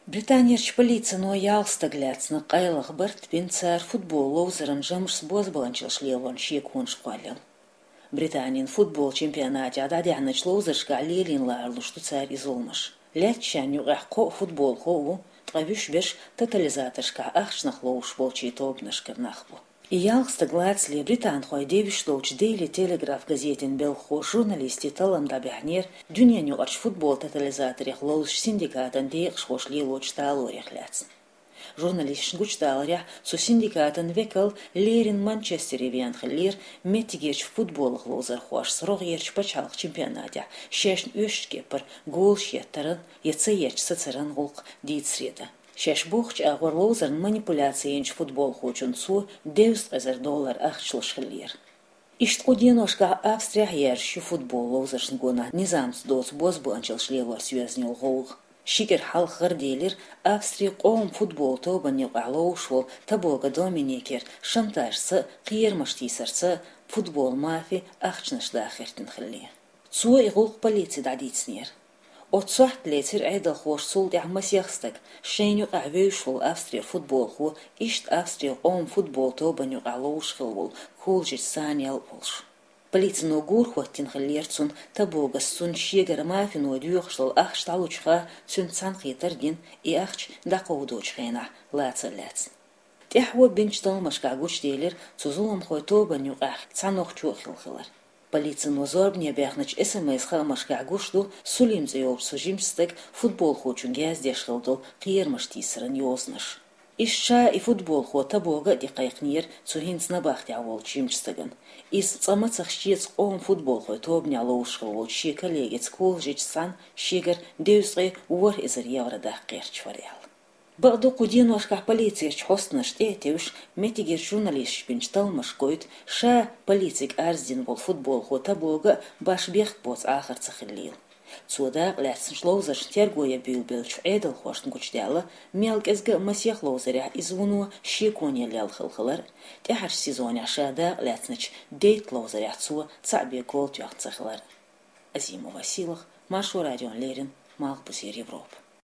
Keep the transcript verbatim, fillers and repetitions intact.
Британерчу полицино ялх стаг лаьцна, къайлаха барт бина, цара футбол ловзаран жамашца бозбуунчаллаш лелорна шеконаш кхоьллина. Британин футбол чемпионатехь дӀадаьхьначу ловзаршкахь лелийна ларалуш ду цара и зуламаш. Лаьцначарна юкъахь кхоъ футболхо а ву, ткъа вуьш берш тотализаторшкахь ахчанах ловзуш болчийн тобанашкара нах бу. И ялх стаг лацале британхойн девзаш долчу Daily Telegraph газетан белхахоша журналистийн таллам дӀабаьхьнера дуьненаюкъарчу футбол тотализаторех ловзучу синдикатан декъашхоша лелочу талорех лаьцна. Журналисташна гучудаларехь, цу синдикатан векал леррина Манчестере веана хиллера, меттигерчу футболах ловзархошца рогӀерчу пачхьалкхан чемпионатехь шайна оьшучу кепара голаш еттаран я ца етташ сацаран гӀуллакх дийцаре дан. Шаьш бохучу агӀор ловзаран манипуляци йинчу футболхочунна цо дезткъа эзар доллар ахча луш хиллера. Иштта кху деношкахь Австрехь а яьржаш ю футбол ловзаршна гонах низамца доцу бозбуунчаллаш лелорца йоьзна йолу гӀовгӀа. Ши кӀира хьалха гӀараделира Австрин къоман футбол тобанна юкъахь ловзуш волу Табога Доминикера шантажца а, кхерамаш тийсарца а футбол мафи ахчанаш даха хӀоьттина хилла. Цо и гӀуллакх полице дӀадийцинера. Оццу сохьта лецира Ӏедалхоша цул тӀаьхьа масех стаг, шайна юкъахь вевзаш волу Австрера футболхо, иштта Австрин къоман футбол тобанна юкъахь ловзуш хилла волу Кулжич Саниал а волуш. Полицино гур хӀоттийна хиллера цунна, Табогас цунна шегара мафино доьхуш долу ахча дӀалучух а цуьнца цхьаьнакхетар а дина, и ахча дӀакховдочу хенахь лаца а лаьцна. ТӀаьхьо бинчу талламашкахь гучуделира цу зуламхойн тобанна юкъахь цхьа нохчо а хилла хилар. Полицино зорбане баьхначу эс эм эс-хаамашкахь гуш ду Сулим цӀе йолчу цу жимачу стага футболхочуьнга яздеш хилла долу кхерамаш тийсаран йозанаш. Иштта ша и футболхо Табога а тӀекхайкхинера цу хӀинца набахтехь волчу жимачу стагана. Иза цкъа мацах шеца къоман футболхойн тобанехь ловзуш хилла волчу шен коллегица Кулжичца цхьаьна шегара дезткъе ворхӀ эзар евро даккха гӀерташ вара аьлла. Бакъду, кху деношкахь полицерчу хьостанаша тӀе а тевжаш, меттигерчу журналисташа бинчу талламаша гойту, ша полицига арз дина волу футболхо Табога а баш бехк боцу Ӏахар ца хиллийла. Цо дакъалаьцначу ловзаршна терго ян буьйлабеллачу Ӏедалхошна гучудаьлла, мел кӀезга а масех ловзарехь иза вуно шеконе лелла хилла хилар а, тӀаьхьарчу сезонехь ша дакъалаьцначу дейтта ловзарехь цо цхьаъ бен гол тоьхна ца хилар а. Азимова Сийлаха, Маршо радиона леррина, Малхбузера Европа.